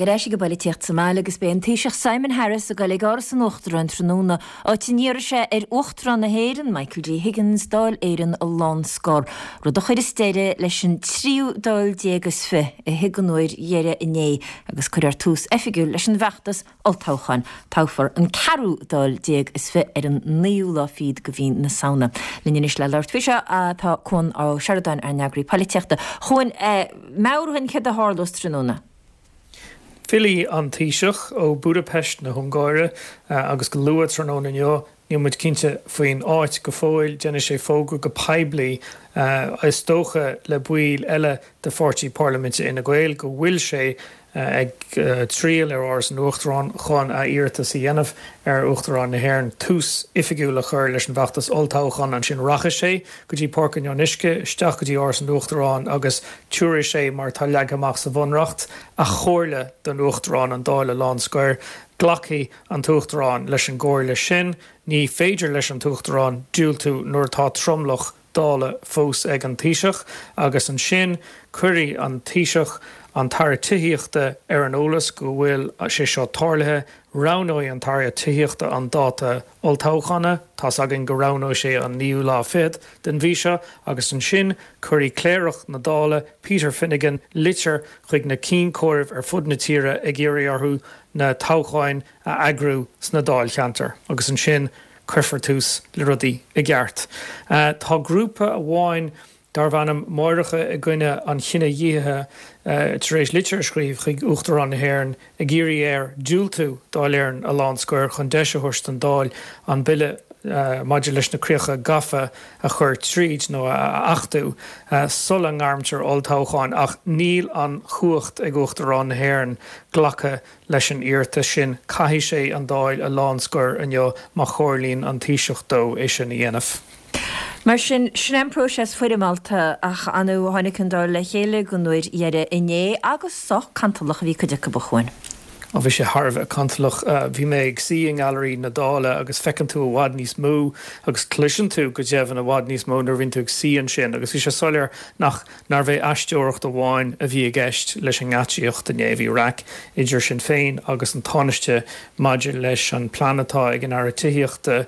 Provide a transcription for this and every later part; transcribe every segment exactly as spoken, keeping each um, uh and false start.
Ar ais ag an bpolaitíocht sa mbaile agus beidh an Taoiseach Simon Harris ag dul ag Áras an Uachtaráin tráthnóna, áit a n-iarrfaidh sé ar Uachtarán na hÉireann, Michael D. Higgins, Dáil Éireann a lánscor, rud a chuirfeas deireadh leis an tríú Dáil déag is fiche a shuigh don uair dheiridh inné agus cuirfear tús oifigiúil leis an bhfeachtas olltoghcháin. Toghfar an ceathrú Dáil déag is fiche ar an naoú lá fichead de mhí na Samhna. Linn anois le labhairt faoi seo tá Cuan Ó Seireadáin, ár n-eagraí polaitíochta. A Chuain, meabhraigh dúinn céard a tharlós tráthnóna. Fillfidh an Taoiseach ó Budapest na hUngáire agus go luath tráthnóna inniu, níl muid cinnte faoin áit go fóill, déanfaidh sé fógra go poiblí, is dócha le baill eile de pháirtí parlaiminte Fhine Gael, go bhfuil sé ag triall ar Áras an Uachtaráin chun a iarratas a dhéanamh ar Uachtarán na hÉireann tús oifigiúil a chur leis an bhfeachtas olltoghcháin. Ansin rachaidh sé go dtí Páirc an Fhionnuisce, isteach go dtí Áras an Uachtaráin agus tabharfaidh sé, mar atá leagtha amach sa Bhunreacht, a chomhairle don Uachtarán an Dáil a lánscoir. Glacfaidh an tUachtarán leis an gcomhairle sin. Ní féidir leis an tUachtarán diúltú nuair atá tromlach Dála fós ag an Taoiseach agus ansin cuirfidh an Taoiseach an tAire Tithíochta ar an eolas go bhfuil sé seo tarlaithe. Roghnóidh an tAire Tithíochta an dáta olltoghchána, tá's againn go roghnóidh sé an naoú lá fichead den mhí seo, agus ansin cuirfidh Cléireach na Dála, Peter Finnegan, litir chuig na cinn chomhairimh ar fud na tíre ag iarraidh orthu na toghcháin a eagrú sna dáilcheantair agus ansin cuirfear tús le rudaí i gceart. Tá grúpa amháin darb ainm Máithreacha i gCoinne an Chinedhíothaithe tar éis litir a scríobh chuig Uachtarán na hÉireann ag iarraidh air diúltú Dáil Éireann a lánscoir chun deis a thabhairt don Dáil an bille maidir leis na críocha gafa a chur tríd nó a achtú sula ngairmtear olltoghchán ach níl an chumhacht ag Uachtarán na hÉireann glacadh leis an iarratas sin. Caithfidh sé an Dáil a lánscoir inniu má chomhairlíonn an Taoiseach dó é sin a dhéanamh. Mar sin, sin é an próiseas foirmeálta ach ar ndóigh tháinig an Dáil le chéile don uair dheiridh inné agus sách cantalach a bhí cuid acu, a Chuain. Ó bhí sé thar a bheith cantalach. Bhí mé ag suí i nGailearaí na Dála agus feiceann tú i bhfad níos mó agus cloiseann tú go deimhin i bhfad níos mó nuair a bhíonn tú ag suí ansin agus bhí sé soiléir nach nárbh é aisteoireacht amháin a bhí i gceist leis an ngeáitsíocht inné. Bhí raic idir Sinn Féin agus an Tánaiste maidir leis an plean atá ag an Aire Tithíochta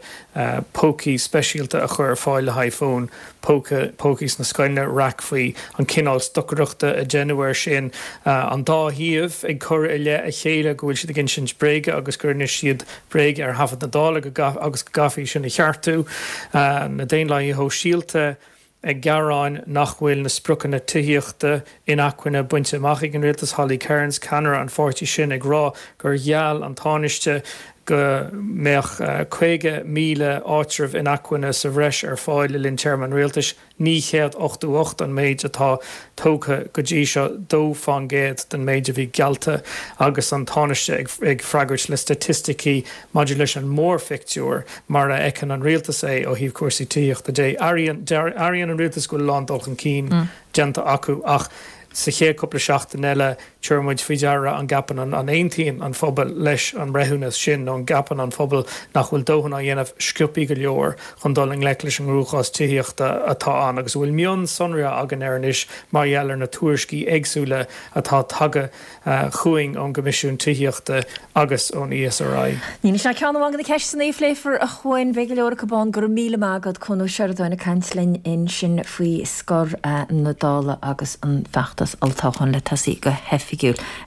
pócaí speisialta a chur ar fáil le haghaidh fóin póca, pócaí sna scoileanna, raic faoi an cineál stocaireachta a deineadh air sin, an dá thaobh ag cur i leith a chéile go bhfuil siad ag insint bréige agus gur inis siad bréag ar thaifead na Dála agus go gcaithfí sin a cheartú, na Daonlathaithe Shóisialta ag gearán nach bhfuil na spriocanna tithíochta inacmhainne bainte amach ag an rialtas, Holly Cairns, ceannaire an pháirtí sin, ag rá gur gheall an Tánaiste go mbeadh caoga míle áitreabh inacmhainne sa bhreis ar fáil le linn téarma an rialtais, naoi chéad ochtó ocht an méid atá tógtha go dtí seo, dó fán gcéad den méid a bhí geallta, agus an Tánaiste ag freagairt le staitisticí maidir leis an mórphictiúr mar a fheiceann an rialtas é ó thaobh cúrsaí tithíochta de. Airíonn an rialtas go bhfuil a lán dul chun cinn déanta acu ach sa chéad cúpla seachtain eile tabharfaidh muid faoi deara an gceapann an an aontaíonn an phobal leis an mbreithiúnas sin nó an gceapann an phobal nach bhfuil dóthain á dhéanamh sciobthaí go leor chun dul i ngleic leis an gcruachás tithíochta atá ann agus a bhfuil mionsonraithe againn air anois mar gheall ar na tuairiscí éagsúla atá tagtha chugainn ón gCoimisiún Tithíochta agus ón ESRI. Níl ach ceann amháin de na ceisteanna a phléifear, a Chuain. Beidh go leor acu ann. Go raibh míle maith agat, Cuan Ó Seireadáin ag caint linn ansin faoi scor na Dála agus an feachtas olltoghcháin le tosaí go hoifigiúil.